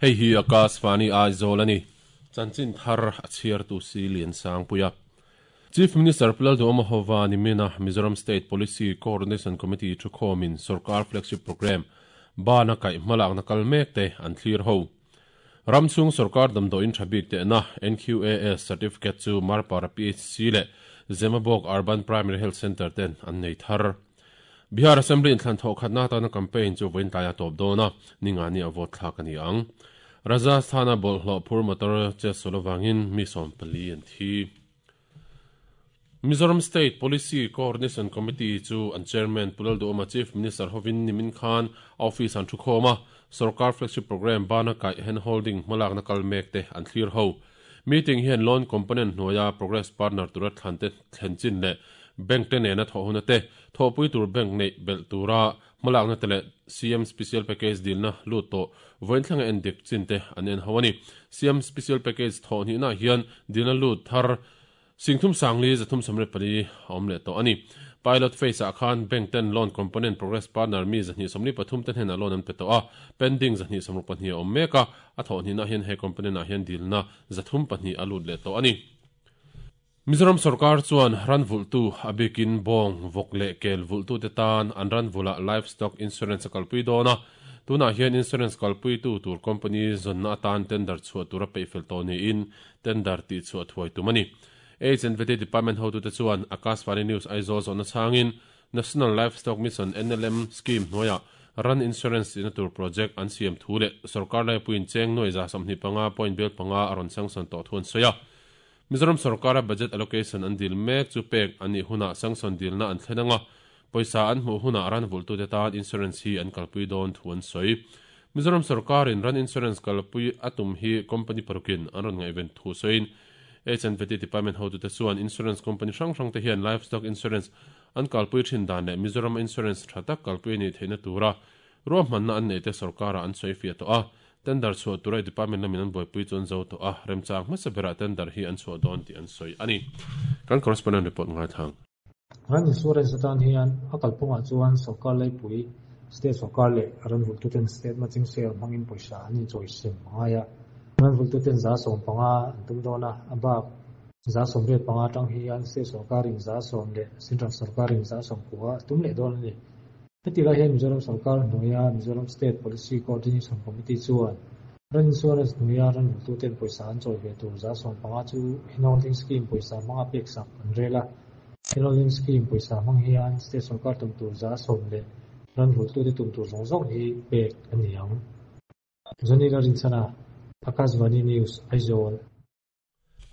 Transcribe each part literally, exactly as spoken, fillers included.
Hei hi Akashvani Aizawl ani. Chanchin thar a chhiar tu si lian sang puia. Chief Minister Pu Lalduhoma hova nimina Mizoram State Policy Coordination Committee thukhomin Sarkar Flagship Program bana kai hmalak na kal mek te an thlir ho. Ramchhung Sarkar damdawiin tha bik te na N Q A S certificate chu Marpara P H C leh Zemabawk Urban Primary Health Center ten an nei thar. Bihar Assembly in thlan thaw khatna tana campaign chu vawiin tlaiah tawp dawn a, ninga ni a vote thlak ani ang. Rajasthana bawlhhlawh phur motor che solawangin mi sawm pali an thi. Mizoram State Policy Coordination Committee chu an chairman Pu Lalduhoma Chief Minister hovin Nimin Khan office an thukhawm a, Sarkar Flagship Program bana kai handholding hmalak na kal mek te an thlir ho. Meeting hian loan component hnuaia progress partner tura thlan te thlen chin leh bank te nena thaw huna te thawpui tur bank nei bel tura hmalak na te leh C M Special Package dilna lut to vawiin thlanga en dik chin te an en ho ani. C M Special Package thaw hnih na hian dilna lut thar Singthum Sangli Zathum Samre Pali awm leh tawh ani. Pilot phase ah khan bank ten loan component progress partner mi zahnih sawmli pathum ten hen a loan an pe tawh a, pending zahnih sawmruk pahnih a awm mek a, a thawh hnihna hian he component ah hian dilna zathum pahnih a lut leh tawh ani. Mizoram Sarkar chuan ran vultu a bikin bawng vawk leh kel vultu te tan an ran vula livestock insurance a kalpui dawn a, tunah hian insurance kalpui tu tur company zawnna atan tender chhuah tura peihfel tawh niin tender tih chhuah thuai tum ani. H and V T Department hotu te chuan Akashvani News Aizawl zawhna changin National Livestock Mission N L M scheme hnuaiah ran insurance ina tur project an siam thu leh Sarkar laipuiin cheng nuai za sawmhnih panga point bel panga a rawn sanction tawh thu an sawi a. Mizoram Sarkara budget allocation an dil mek chu pek ani huna sanction dilna an thlen anga pawisa an hmuh huna ran vultu te tan insurance hi an kalpui dawn thu an sawi. Mizoram Sarkarin ran insurance kalpui atum hi company parukin an rawn ngaihven thu sawiin H and V T Department hotu te chuan insurance company hrang hrang te hian livestock insurance an kalpui thin dan leh Mizoram insurance tha tak kalpui ani theihna tura ruahmanna an nei te sarkara an sawi fiah tawh a, tender chhuah tura department lamin an buaipui chuan zo tawh a, remchang hmasa berah tender hi an chhuah dawn tih an sawi ani. Kan correspondent report ngai thang. Ran insurance atan hian a kalphungah chuan sarkar laipui state sarkar leh ran vultu ten state matching share hmangin pawisa an inchawi sem angai a. Ran vultu ten za sawm panga an tum dawn a, a bak za sawm riat panga tang hian state sarkarin za sawm leh central sarkarin za sawm kua tum leh dawn ani. Heti lai hian Mizoram Sarkar hnuaia Mizoram State Policy Coordination Committee chuan ran insurance hnuaia ran vultu ten pawisa an chawi ve tur za sawm panga chu handholding scheme pawisa hmanga pek sak an rel a. Handholding scheme pawisa hmang hian state sarkar tum tur za sawm leh ran vultu te tum tur zawng zawng hi pek ani ang. Zonila Rinchana, Akashvani News, Aizawl.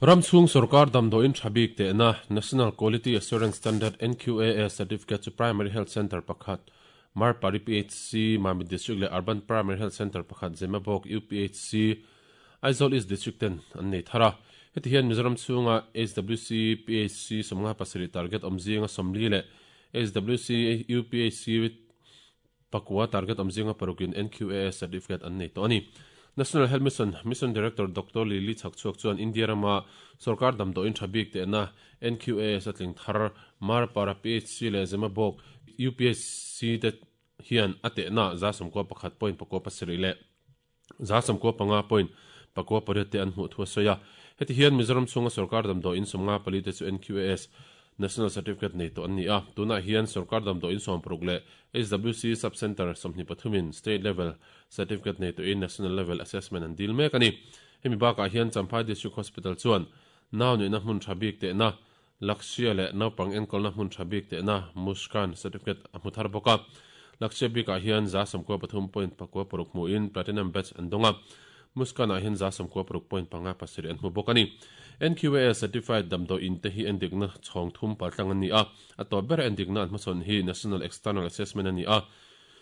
Ramchhung Sarkar damdawiin tha bik te na National Quality Assurance Standard N Q A S certificate chu Primary Health Center pakhat Marpari P H C Mamit District leh Urban Primary Health Center pakhat Zemabawk U P H C Aizawl East District ten an nei thara. Heti hian Mizoram chhunga H W C P H C sawmnga pasarih target awmzinga sawmli leh H W C U P H C pakua target awmzinga parukin N Q A S certificate an nei tawh ani. National Health Mission Mission Director Doctor Lily Chhakchhuak chuan India rama Sarkar damdawiin tha bik te na N Q A S atling thar Marpara P H C leh Zemabawk U P H C te hian ate na za sawmkua pakhat point pakua pasarih leh za sawmkua panga point pakua pariat te an hmuh thu a sawi a. Heti hian Mizoram chhunga Sarkar damdawiin sawmnga pali te chu N Q A S National Certificate nei tawh an ni a. Tunah hian Sarkar damdawiin sawm paruk leh H W C Sub-Center sawmhnih pathumin State Level Certificate nei tawhin National Level Assessment an dil mek ani. Hemi bakah hian Champhai District Hospital chuan nau nuihna hmun tha bik te na Lakshya leh naupang enkawlna hmun tha bik te na Muskan Certificate a hmu thar bawk a. Lakshya bikah hian za sawmkua pathum point pakua paruk hmuin Platinum Badge an dawng a. Muskan ah hian za sawmkua paruk point panga pasarih an hmu bawk ani. N Q A S Certified damdawiin te hi endikna chhawng thum paltlang an ni a. A tawp ber endikna an hmasawn hi National External Assessment ani a.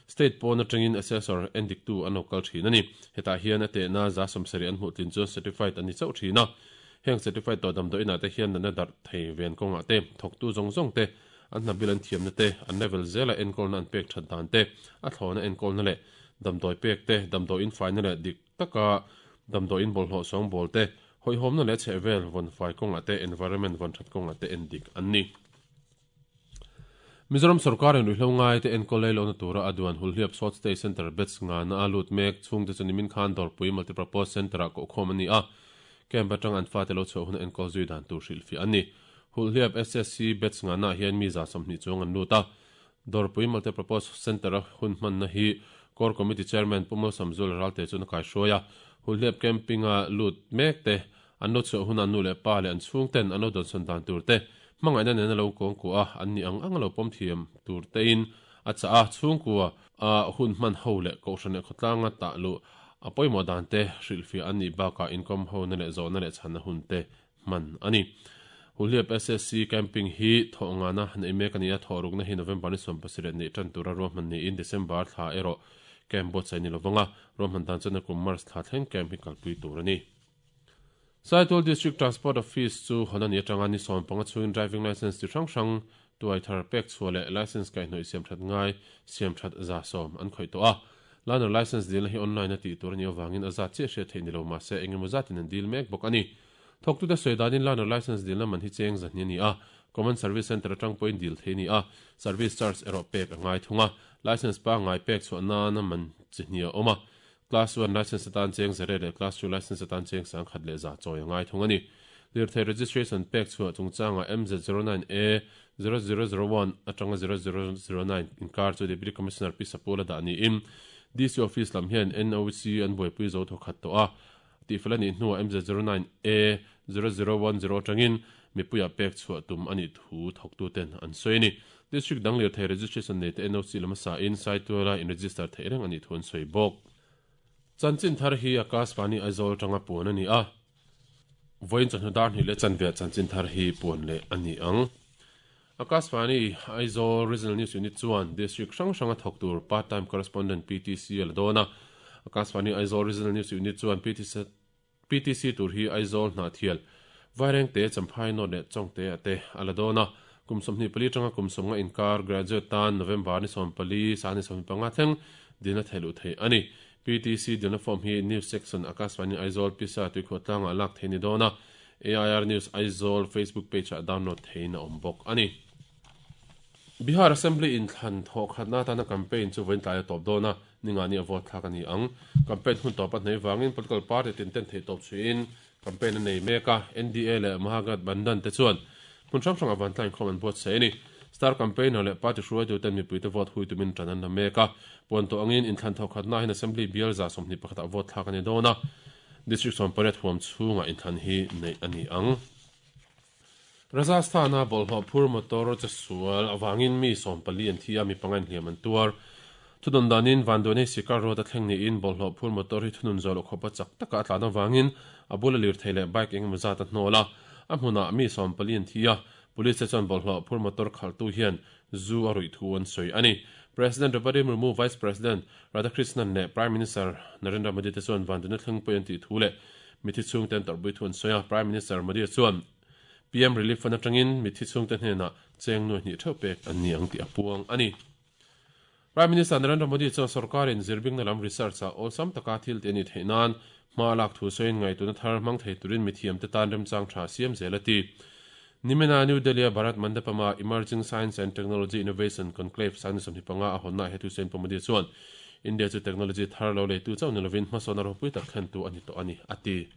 State pawn atangin assessor endiktu an lo kal thin ani. Hetah hian a tehna za sawmsarih an hmuh tlin chu certified ani chauh thin a. Heng certified tawh damdawiinah te hian natna darh thei ven kawngah te, thawktu zawng zawng te, an hnabil an thiamna te, an level zela enkawlna an pek that dan te, a thlawna enkawlna leh damdawi pek te, damdawiin faina leh dik taka damdawiin bawlhhlawh sawng bawl te, hawihhawmna leh chhehvel vawn fai kawngah te, environment vawn that kawngah te endik an ni. Mizoram sarkar in ruihhlo ngai te enkawl lei lohna tura a duan Hulhliap Short Stay Centre beds nga na a lut mek chhungte chu nimin khan Dawrpui Multipurpose Centre-ah kohkhawm a ni a, camp atang an fate lo chhuah huna enkawl zui dan tur hrilhfiah a ni. Hulhliap S S C beds nga na hian mi za sawmhnih chuang an lut a, Dawrpui Multipurpose Centre-a hun hmanna hi Core Committee Chairman Pu Malsawmzul Ralte chuan a kaihruai a, Hulhliap camping-a lut mek te an lo chhuah huna nu leh pa leh an chhungten an lo dawnsawn dan tur te hmangaihna nen a lo kawng kuah a, an ni ang ang a lo pawm thiam tur tein a chah a, chhungkua a hun hman ho leh kohhran leh khawtlanga tah luh a pawimawh dan te hrilhfiah an nih bakah inkawm hona leh zawhna leh chhanna hun te hman a ni. Hulhliap S S C camping hi thawh ngana neih mek a ni a, thawh rukna hi November ni sawm pasarih neih tan tura ruahman niin December thla erawh camp buatsaih ni lovanga ruahman dan chuan a kum March thla thleng camp hi kalpui tur a ni. Saitual District Transport Office chu hawn a ni atanga ni sawm panga chhungin driving license ti hrang hrang tuai thar pek chhuah leh license kaihhnawih siam that ngai siam that za sawm an khawih tawh a. Learner license dilna hi online a tih tur a ni avangin a zat chiah hriat theih ni lo mahse engemaw zatin an dil mek bawk a ni. Thawktute sawi danin learner license dilna man hi cheng zahni a ni a, Common Service Centre atang pawhin dil thei a ni a, service charge erawh pek a ngai thung a, license pa ngai pek chhuah nana man chi hnih a awm a, Class one license atan cheng zare leh Class two license atan cheng sang khat leh za chawi a ngai thung a ni. Lirthei registration pek chhuah chungchanga M Z zero nine A zero zero zero one atanga zero zero zero nine inkar chu Deputy Commissioner P Sapula dah niin D C Office lam hian N O C an buaipui zo thaw khat tawh a, tifel a nih hnuah M Z zero nine A zero zero one zero atangin mipuia pek chhuah tum a nih thu thawktuten an sawi a ni. District dang lirthei registration nei te N O C lam a sa in Saituala in register theih reng a nih thu an sawi bawk. Chanchin thar hi Akashvani Aizawl tanga puan a ni a, vawiin chawhnu dar hnih leh chanve chanchin thar hi puan leh a ni ang. Akashvani Aizawl Regional News Unit chuan district hrang hranga thawk tur part time correspondent P T C a la dawn a. Akashvani Aizawl Regional News Unit chuan P T C P T C tur hi Aizawl hnah thial Vaireng te Champhai North leh Chawngte a te a la dawn a. Kum sawmhnih pali tanga kum sawmnga inkar graduate tan November ni sawm pali sang ni sawmhnih panga thleng dilna theih luh theih a ni. P T C dilna form hi News Section Akashvani Aizawl Pisa tuikhuah tlangah lak thei ni dawn a, A I R News Aizawl Facebook page ah download thein a awm bawk a ni. Bihar Assembly in thlan thawh khatna atana campaign chu vawiin tlai a tawp dawn a, ninga ni a vote thlak a ni ang. Campaign hun tawp a hnei vangin political party tin ten theih tawp chhuiin campaign a nei mek a, N D A leh Mahagathbandhan te chuan hmun hrang hrang avan tlain khawm an buatsaih a ni. Star campaigner leh party hruaitu ten mipuite vote hui tumin tan an la mek a, puan tawh angin in thlan thawh khatna hian assembly bial za sawmhnih pakhatah vote thlak a ni dawn a, district sawm pariat huam chhungah in thlan hi neih a ni ang. Rajasthana bawlhhlawh phur motor che sual awangin mi sawm pali an thi a, mi panga in hliam an tuar. Thunun danin vanduai sikar road a thleng niin bawlhhlawh phur motor hi thunun zawh loh khawpa chak taka a tlan awangin a bula lir thei leh bike engemaw zat a hnawl a, a hmunah mi sawm pali an thi a, police te chuan bawlhhlawh phur motor khaltu hian zu a ruih thu an sawi a ni. President Draupadi Murmu, Vice President Radhakrishnan leh Prime Minister Narendra Modi te chuan vanduai thleng pawih an tih thu leh mithi chhungte an tawrhpui thu an sawi a. Prime Minister Modi chuan P M Relief Fund atangin mithi chhungte hnenah cheng nuai hnih theuh pek an ni ang tih a puang a ni. Prime Minister Narendra Modi chuan sarkarin zirbingna lam research a awlsam taka thil te ani theih nan hma lak thu sawiin ngaituna thar hmang thei turin mithiam te tan remchang tha siam zel a ti. Nimina New Delhi Bharat Mandapama Emerging Science and Technology Innovation Conclave sang ni sawmhnih panga a hawnna he thu sawiin Pu Modi chuan India chu technology thar lo leitu chauh ni lovin hmasawn a ropui tak thlen tu ani tawh ani a ti.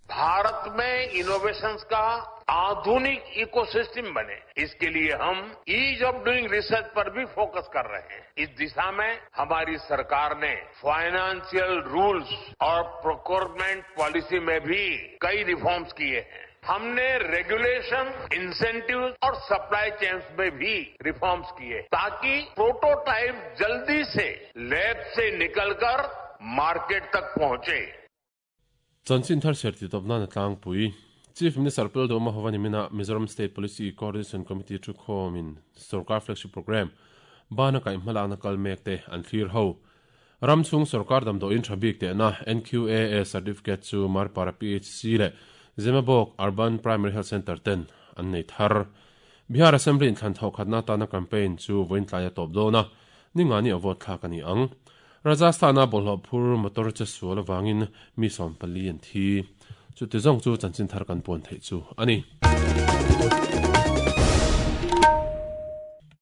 Bharat में innovations का आधुनिक ecosystem बने, इसके लिए हम ease of doing research पर भी फोकस कर रहे हैं। इस दिशा में हमारी सरकार ने फाइनेंशियल रूल्स और प्रोक्योरमेंट पॉलिसी में भी कई रिफॉर्म्स किए हैं। हमने रेगुलेशन, इंसेंटिव और सप्लाई चेन्स में भी रिफॉर्म्स किए ताकि प्रोटोटाइप जल्दी से लैब से निकलकर मार्केट तक पहुंचे। Chanchin thar serti topna na tlangpui Chief Minister Pu Duhoma hovani mina Mizoram State Policy Coordination Committee thu khawmin Sarkar Flagship Program bana kai hmala na kal mek te an thlir ho. Ramchhung Sarkar damdawiin tha bik te na N Q A A certificate chu Marpara P H C leh Zemabawk Urban Primary Health Center ten an nei thar. Bihar Assembly in thlan thawh khatna tana campaign chu vawiin tlai a tawp dawn a, ninga ni a vote thlak a ni ang. Rajasthana bawlhhlawh phur motor che sual awangin mi sawm pali an thi. Chu ti zawng chu chanchin thar kan puan theih chu a ni.